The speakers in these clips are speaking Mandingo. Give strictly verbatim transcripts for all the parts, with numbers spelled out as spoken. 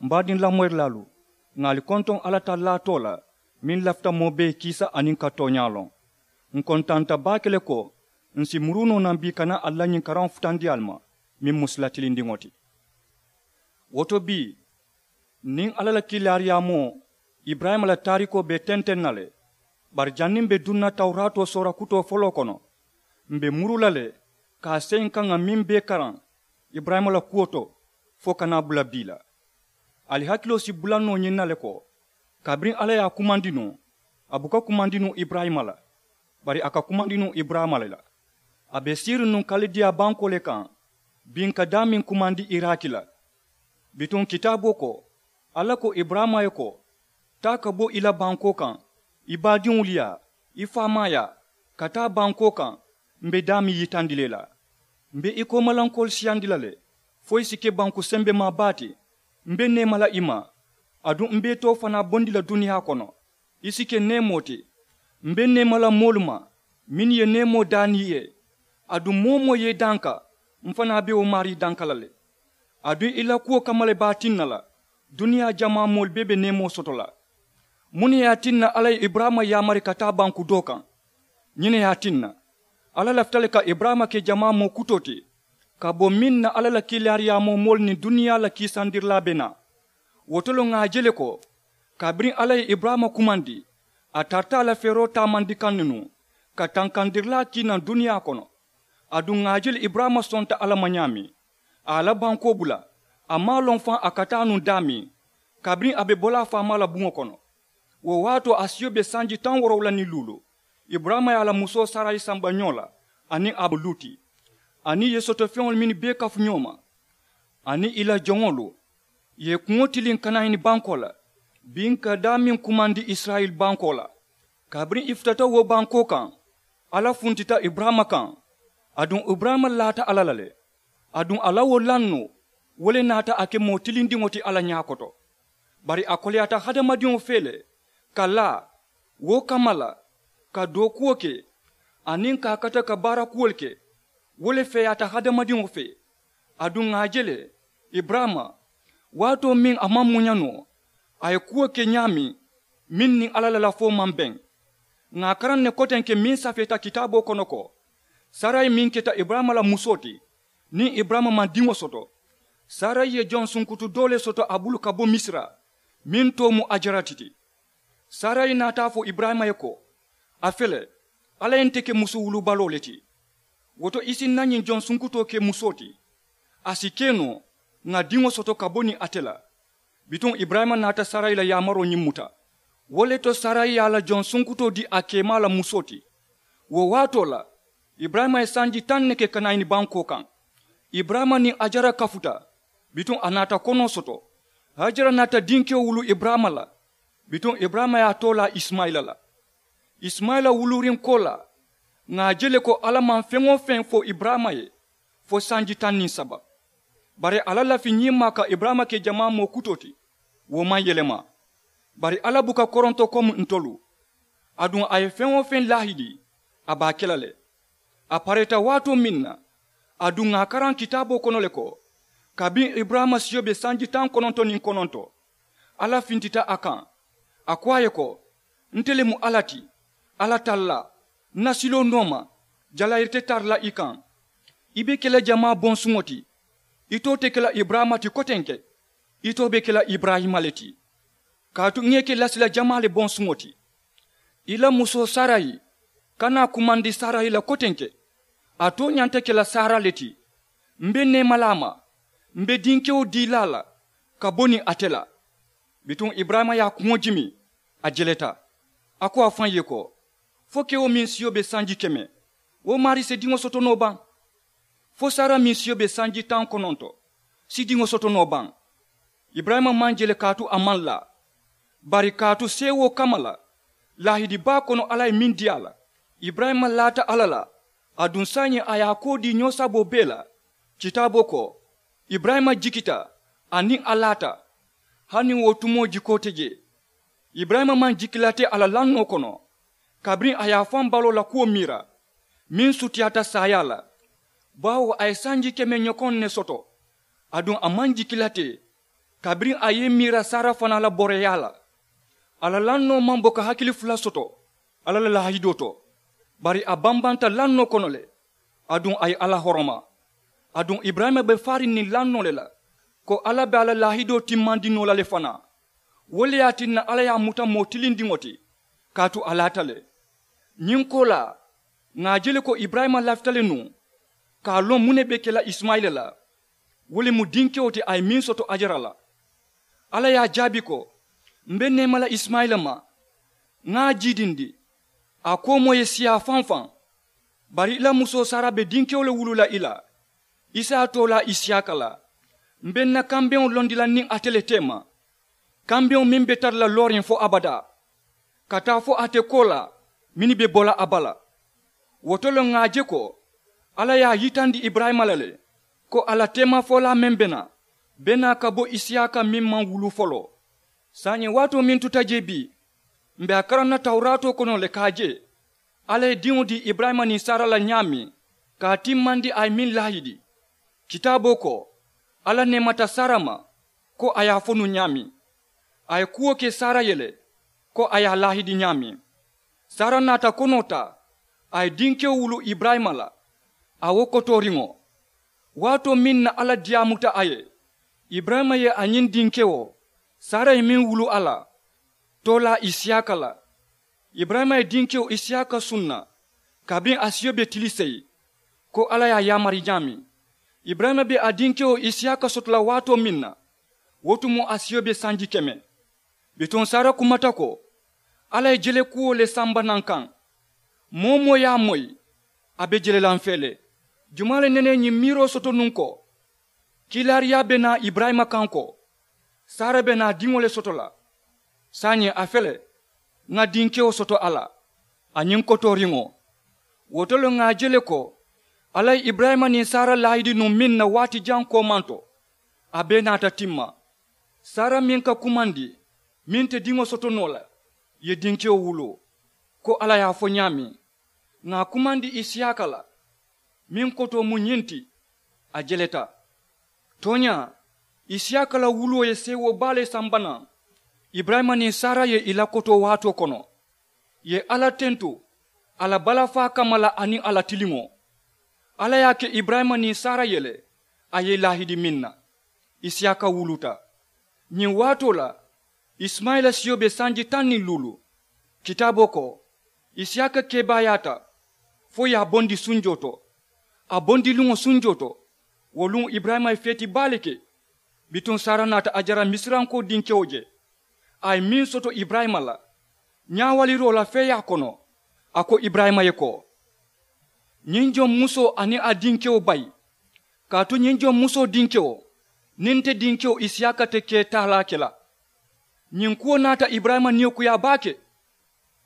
M baadiŋ lamoyirilaalu, ŋà ali kontoŋ alla tallaa too la meŋ lafita moo bee kiisa aniŋ ka tooñaa loŋ. Ǹ kontaanta baake le ko ǹ si muruu noo naŋ bii ka naa ali la ñiŋ karaŋo futandi ali ma meŋ mu sila tilindiŋo ti. Wo to bii, niŋ alla la kiilaariyaamoo iburayima la taariikoo be tenteŋ na le. Bari janniŋ m̀ be duŋ na tawuraatoo soora kutoo foloo kono, m̀ be muru la le ka a seyi n kaŋ ŋà meŋ bee karaŋ iburayima la kuwo to fo ka naa bula bii la. Ali hakiloo si bula noo ñiŋ na le ko, kabiriŋ alla ye a kumandi nuŋ, a buka kumandi nuŋ iburayima la, bari a ka kumandi nuŋ iburayima le la. A be siiriŋ nuŋ kalidiya bankoo le kaŋ, biŋ ka daameŋ kumandi iraki la. Bituŋ kitaaboo ko, alla ko iburayima ye ko, taa ka bo i la bankoo kaŋ, i baadiŋolu yaa, i faamaayaa, ka taa bankoo kaŋ m̀ be daameŋ yitandi la i la. M̀ be i koomalankoolu siyandi la le fo i si ke banku sembemaa baa ti. M̀ be neema la i ma, aduŋ m̀ be i too fanaa bondi la duniyaa kono. I si ke neemoo ti. M̀ be neema la moolu ma mennu ye neemoo daani i ye. Aduŋ moo-wo-moo ye i danka, m̀ fanaa be wo maarii danka la le. Aduŋ i la kuwo kamma le be a tinna la duniyaa jamaa moolu bee be neemoo soto la. Muŋ ne ye a tinna alla ye iburayima yaamari ka taa banku doo kaŋ? Ñiŋ ne ye a tinna, alla lafita le ka iburayima ke jamaa moo kutoo ti ka bo meŋ na alla la kiilaariyaamoo moolu niŋ duniyaa la kiisandirilaa be naa. Wo to le ŋà a je le ko, kabiriŋ alla ye iburayima kumandi, a tarata a la feeroo taamandi kaŋ ne nuŋ ka tankandirilaa kii naŋ duniyaa kono. Aduŋ ŋà a je le iburayima sonta alla ma ñaameŋ, a ye a la bankoo bula, a maŋ a loŋ faŋ a ka taa nuŋ daameŋ, kabiriŋ a be bo la a faamaa la buŋo kono. Wo waatoo a siyo be sanji taŋ woorowula niŋ luulu. Iburayima ye a la musoo sarayi samba ñoo la, aniŋ a mu luti, aniŋ i ye soto feŋolu mennu bee kafu ñoo ma, aniŋ i la joŋolu, i ye kuŋo tiliŋ kanayini bankoo la, biŋ ka daameŋ kumandi isirayila bankoo la. Kabiriŋ i futata wo bankoo kaŋ, alla funtita iburayima kaŋ. Aduŋ iburayima laata alla la le. Aduŋ a la wo lannoo, wo le naata a ke moo tilindiŋo ti alla ñaa koto. Bari a koleyaata hadamadiŋo fee le, ka laa, wo kamma la, ka dookuwo ke, aniŋ ka a kata ka baara kuwolu ke. Wo le feeyaata hadamadiŋo fee. Aduŋ ŋà a je le, iburayima, waatoo meŋ a maŋ muña noo, a ye kuwo ke ñaameŋ meŋ niŋ alla la lafoo maŋ beŋ. Ŋà a karaŋ ne kotenke meŋ safeeta kitaaboo kono ko, sarayi meŋ keta iburayima la musoo ti, niŋ iburayima maŋ diŋo soto, sarayi ye jonsunkutu doo le soto a bulu ka bo misira, meŋ too mu ajarati ti. Sarayi naata a fo iburayima ye ko, a fele, alla ye nte ke musu wulubaloo le ti. Wo to i si ǹ na ñiŋ jonsunkutoo ke musoo ti. A si ke noo, ŋà diŋo soto ka bo niŋ ate la. Bituŋ iburayima naata sarayi la yaamaroo ñiŋ muta. Wo le to sarayi ye a la jonsunkutoo dii a keemaa la musoo ti. Wo waatoo la, iburayima ye sanji taŋ ne ke kanayini bankoo kaŋ. Iburayima niŋ hajara kafuta. Bituŋ a naata konoo soto. Hajara naata dinkewo wuluu iburayima la. Bituŋ iburayima ye a too laa isimayila la. Isimayila wuluuriŋ koolaa, ŋà a je le ko alla maŋ feŋ-wo-feŋ fo iburayima ye fo sanji taŋ niŋ saba. Bari a la lafi ñiŋ maa ka iburayima ke jamaa moo kutoo ti, wo maŋ yelema. Bari alla buka koronto komi ntolu. Aduŋ a ye feŋ-wo-feŋ laahidi, a be a ke la le. A pareeta waatoo meŋ na, aduŋ ŋà a karaŋ kitaaboo kono le ko, kabiriŋ iburayima siyo be sanji taŋ kononto niŋ kononto, alla fintita a kaŋ. A ko a ye ko, nte le mu alla ti, alla tallaa, ǹ na siloo nooma, jalayiri te tara la i kaŋ. I be ke la jamaa bonsuŋo ti. Itoo te ke la iburayima ti kotenke, itoo be ke la iburayima le ti. Kaatu ŋà i ke lasila jamaa le bonsuŋo ti. I la musoo sarayi, kana a kumandi sarayi la kotenke, a tooñaŋ nte ke la saara le ti. M̀ be neema la a ma, m̀ be dinkewo dii la a la ka bo niŋ ate la. Bituŋ iburayima ye a kuŋo jimi, a jeleta. A ko a faŋ ye ko, fo kewo meŋ siyo be sanji keme, wo maarii si diŋo soto noo baŋ? Fo sara meŋ siyo be sanji taŋ kononto, si diŋo soto noo baŋ? Iburayima maŋ je le kaatu a maŋ laa. Bari kaatu seewoo kamma la, laahidi baa kono alla ye meŋ dii a la, iburayima laata alla la. Aduŋ saayiŋ a ye a koo dii ñoosaboo bee la. Kitaaboo ko, iburayima jikita, aniŋ a laata. Hani wo tumoo jikoo te jee. Iburayima maŋ jikilate a la lannoo kono, kabiriŋ a ye a faŋ baloo la kuwo miira, meŋ sutiyaata saayaa la. Baawo a ye sanji keme ñokoŋ ne soto. Aduŋ a maŋ jikilate. Kabiriŋ a ye i miira sara fanaa la boroyaa la, a la lannoo maŋ bo ka hakili fula soto alla la laahidoo to. Bari a bambanta lannoo kono le, aduŋ a ye alla horoma. Aduŋ iburayima be faariŋ niŋ lannoo le la, ko alla be a la laahidoo timmandi noo la le fanaa. Wo le ye a tinna alla ye a muta moo tilindiŋo ti, kaatu a laata le. Ñiŋ koolaa, ŋà a je le ko iburayima lafita le nuŋ ka a loŋ muŋ ne be ke la isimayila la. Wo le mu dinkewo ti a ye meŋ soto ajara la. Alla ye a jaabi ko, m be neema la isimayila ma. Ŋà a jiidindi, a koomoo ye siyaa faŋ faŋ. Bari i la musoo sara be dinkewo le wuluu la i la. I si a toolaa isiyaka la. M be n na kambeŋo londi la niŋ ate le teema, kambeŋo meŋ be tara la looriŋ fo abadaa, ka taa fo ate koolaa mennu be bo la a bala. Wo to le ŋà a je ko alla ye a yitandi iburayima la le, ko a la teemafolaa meŋ be naa be naa ka bo isiyaka meŋ maŋ wuluu foloo. Saayiŋ waatoo meŋ tuta jee bii, m be a karaŋ na tawuraatoo kono le ka a je alla ye diŋo dii iburayima niŋ sara la ñaameŋ, ka a timmandi a ye meŋ laahidi. Kitaaboo ko, alla neemata sara ma, ko a ye a fo nuŋ ñaameŋ. A ye kuwo ke sara ye le, ko a ye a laahidi ñaameŋ. Sara naata konoo taa, a ye dinkewo wuluu iburayima la. A wo kotooriŋo, waatoo meŋ na alla diyaamuta a ye, iburayima ye a ñiŋ dinkewo sara ye meŋ wuluu a la, toolaa isiyaka la. Iburayima ye dinkewo isiyaka sunna kabiriŋ a siyo be tili seyi, ko alla ye a yaamari ñaameŋ. Iburayima be a dinkewo isiyaka soto la waatoo meŋ na, wo tumoo a siyo be sanji keme. Bituŋ sara kumata ko, alla ye jelekuwo le samba naŋ kaŋ. Moo-wo-moo ye a moyi, a be jele la m fee le. Jumaa le nene ye ñiŋ miiroo soto nuŋ ko, kiilaariyaa be naa iburayima kaŋ ko sara be naa diŋo le soto la? Saayiŋ a fele, ŋa dinkewo soto a la, a ñiŋ kotooriŋo. Wo to le ŋà a je le ko alla ye iburayima niŋ sara laahidi nuŋ meŋ na waati jaŋ koomaŋ to, a bee naata timma. Sara meŋ ka kumandi, meŋ te diŋo soto noo la, ye dinkewo wuluu, ko alla ye a fo ñaameŋ. Ŋà a kumandi isiyaka la, meŋ kotoo mu ñiŋ ti, a jeleta. Tooñaa, isiyaka la wuluwo ye seewoo baa le samba naŋ. Iburayima niŋ sara ye i la kotoo waatoo kono, ì ye alla tentu a la balafaa kamma la aniŋ a la tiliŋo. Alla ye a ke iburayima niŋ sara ye le, a ye i laahidi meŋ na, isiyaka wuluta. Ñiŋ waatoo la, isimayila siyo be sanji taŋ niŋ luulu. Kitaaboo ko, isiyaka kebaayaata fo ì ye a bondi sunjoo to. A bondiluŋo sunjoo to, wo luŋo iburayima ye feeti baa le ke. Bituŋ sara naata ajara misirankoo dinkewo je, a ye meŋ soto iburayima la ñaawaliroo la feeyaa kono. A ko iburayima ye ko, ñiŋ joŋ musoo aniŋ a dinkewo bayi, kaatu ñiŋ joŋ musoo dinkewo niŋ nte dinkewo isiyaka te kee taalaa ke la. Ñiŋ kuwo naata iburayima niyo kuyaa baake,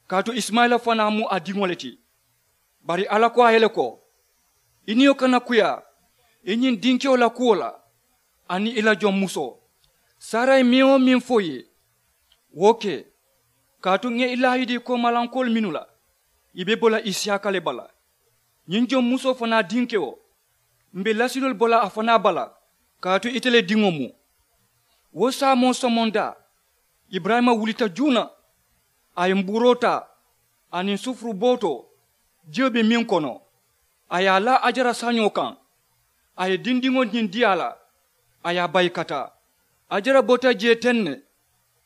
kaatu isimayila fanaa mu a diŋo le ti. Bari alla ko a ye le ko, i niyo kana kuyaa i ñiŋ dinkewo la kuwo la, aniŋ i la joŋ musoo. Sara ye meŋ-wo-meŋ fo i ye, wo ke. Kaatu ŋa i laahidi koomalankoolu mennu la, i be bo la isiyaka le bala. Ñiŋ joŋ musoo fanaa dinkewo, m̀ be lasiloolu bo la a fanaa bala, kaatu ite le diŋo mu. Wo saamoo somondaa, iburayima wulita juuna. A ye mbuuroo taa aniŋ sufuru bootoo, jiyo be meŋ kono, a ye a laa ajara sañoo kaŋ. A ye dindiŋo ñiŋ dii a la, a ye a bayi ka taa. Ajara bota jee teŋ ne,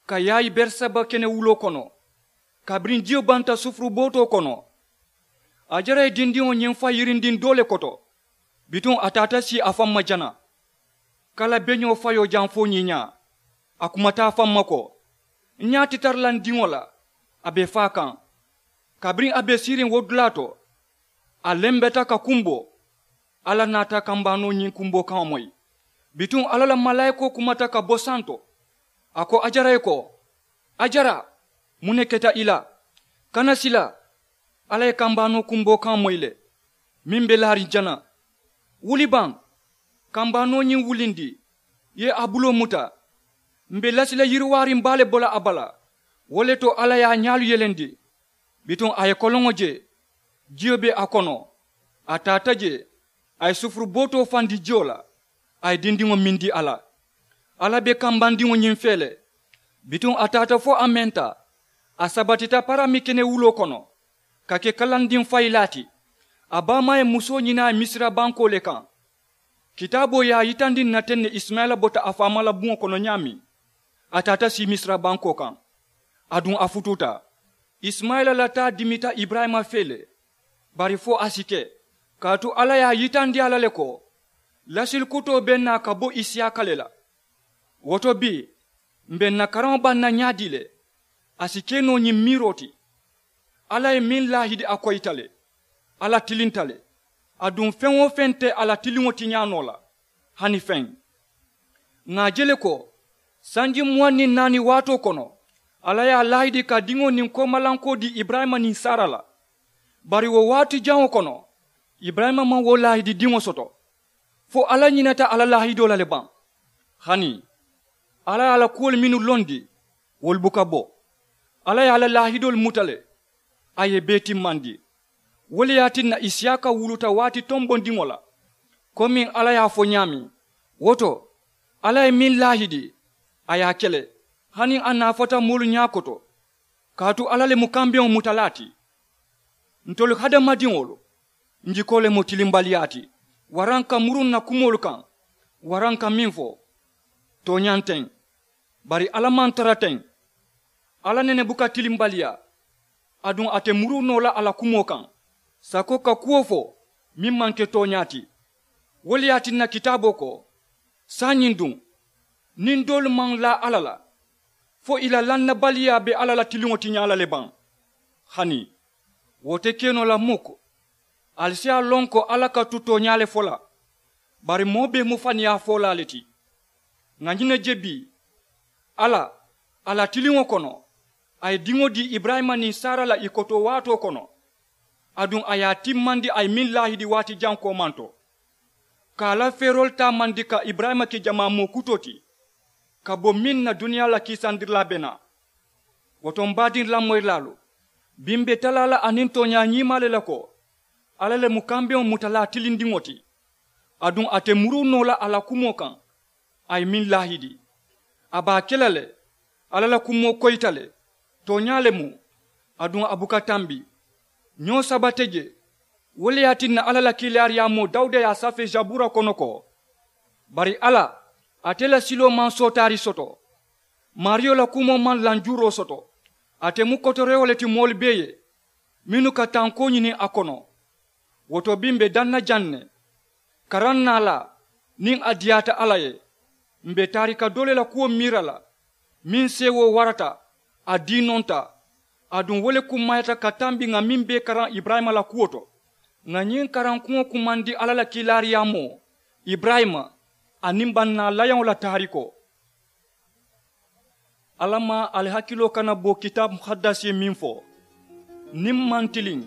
ka yaayi beeriseba kenewuloo kono. Kabiriŋ jiyo banta sufuru bootoo kono, ajara ye dindiŋo ñiŋ fa yirindiŋ doo le koto. Bituŋ a taata sii a faŋ ma jana. Kala beñoo fayoo jaŋ fo ñiiñaa. A kumata a faŋ ma ko, n ñaa ti tara la n diŋo la, a be faa kaŋ. Kabiriŋ a be siiriŋ wo dulaa to, a lembeta ka kumboo. Alla naata kambaanoo ñiŋ kumboo kaŋo moyi. Bituŋ alla la malaayikoo kumata ka bo santo, a ko ajara ye ko, ajara, muŋ ne keta i la? Kana sila, alla ye kambaanoo kumboo kaŋo moyi le, meŋ be laariŋ jana. Wuli baŋ, kambaanoo ñiŋ wulindi, i ye a buloo muta. M̀ be lasi la yiriwaariŋ baa le bo la a bala. Wo le to alla ye a ñaalu yelendi. Bituŋ a ye koloŋo je, jiyo be a kono. A taata je, a ye sufuru bootoo fandi jiyo la, a ye dindiŋo mindi a la. Alla be kambandiŋo ñiŋ fee le. Bituŋ a taata fo a menta. A sabatita parami kene wuloo kono, ka ke kalandiŋ fayilaa ti. A baamaa ye musoo ñini a ye misira bankoo le kaŋ. Kitaaboo ye a yitandi n na teŋ ne isimayila bota a faama la buŋo kono ñaameŋ, a taata sii misira bankoo kaŋ. Aduŋ a futuuta. Isimayila la taa dimita iburayima fee le. Bari fo a si ke, kaatu alla ye a yitandi a la le ko, lasili kutoo be naa ka bo isiyaaka le la. Wo to bii, m̀ be ǹ na karaŋo baŋ na ñaadii le? A si ke noo ñiŋ miiroo ti. Alla ye meŋ laahidi a koyita le. Alla tilinta le. Aduŋ feŋ-wo-feŋ te a la tiliŋo tiñaa noo la, hani feŋ. Ŋà a je le ko, sanji muwaŋ niŋ naani waatoo kono, alla ye a laahidi ka diŋo niŋ koomalankoo dii iburayima niŋ sara la. Bari wo waati jaŋo kono, iburayima maŋ wo laahidi diŋo soto. Fo alla ñinata a la laahidoo la le baŋ? Hani, alla ye a la kuwolu mennu londi, wolu buka bo. Alla ye a la laahidoolu muta le, a ye i bee timmandi. Wo le ye a tinna isiyaaka wuluta waati tonbondiŋo la, komiŋ alla ye a fo ñaameŋ. Wo to, alla ye meŋ laahidi, a ye a ke le, hani a naafata moolu ñaakoto. Kaatu alla le mu kambeŋo mutalaa ti. Ntolu hadamadiŋolu, ǹ jikoo le mu tilimbaliyaa ti, waraŋ ka muru ǹ na kumoolu kaŋ, waraŋ ka meŋ fo. Tooñaa nteŋ. Bari alla maŋ tara teŋ. Alla nene buka tilimbaliyaa. Aduŋ a te muru noo la a la kumoo kaŋ, sako ka kuwo fo meŋ maŋ ke tooñaa ti. Wo le ye a tinna kitaaboo ko, saayiŋ duŋ, niŋ doolu maŋ laa alla la, fo ì la lannabaliyaa be alla la tiliŋo tiñaa la le baŋ? Hani, wo te ke noo la mukk. Ali si a loŋ ko alla ka tu tooñaa le fo la. Bari moo bee mu faniyaa foolaa le ti. Ŋà ñiŋ ne je bii, alla, a la tiliŋo kono, a ye diŋo dii iburayima niŋ sara la ì koto waatoo kono. Aduŋ a ye a timmandi a ye meŋ laahidi waati jaŋ koomanto, ka a la feeroolu taamandi ka iburayima ke jamaa moo kutoo ti, ka bo meŋ na duniyaa la kiisandirilaa be naa. Wo to m̀ baadiŋ lamoyirilaalu, bii m̀ be talaa la aniŋ tooñaa ñiimaa le la ko, alla le mu kambeŋo mutalaa tilindiŋo ti. Aduŋ a te muru noo la a la kumoo kaŋ, a ye meŋ laahidi, a be a ke la le. Alla la kumoo koyita le, tooñaa le mu. Aduŋ a buka tambi. Ñoo saba te je. Wo le ye a tinna alla la kiilaariyaamoo dawuda ye a safee sabuura kono ko, bari alla, ate la siloo maŋ sootaari soto. Maariyo la kumoo maŋ lanjuuroo soto. Ate mu kotorewo le ti moolu bee ye, mennu ka tankoo ñini a kono. Wo to bii m̀ be daŋ na jaŋ ne, karaŋ naalaa, niŋ a diyaata alla ye, m̀ be taarika doo le la kuwo miira la, meŋ seewoo warata, a diinonta. Aduŋ wo le kummayata ka tambi ŋà meŋ be karaŋ iburayima la kuwo to. Ŋà ñiŋ karankuŋo kumandi alla la kiilaariyaamoo, iburayima, aniŋ bannaa layaŋo la taarikoo. Alla maŋ ali hakiloo kana bo kitaabu mukaddasi ye meŋ fo, niŋ m̀ maŋ tiliŋ,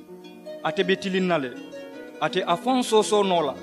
ate be tiliŋ na le. Ate a faŋ soosoo noo la.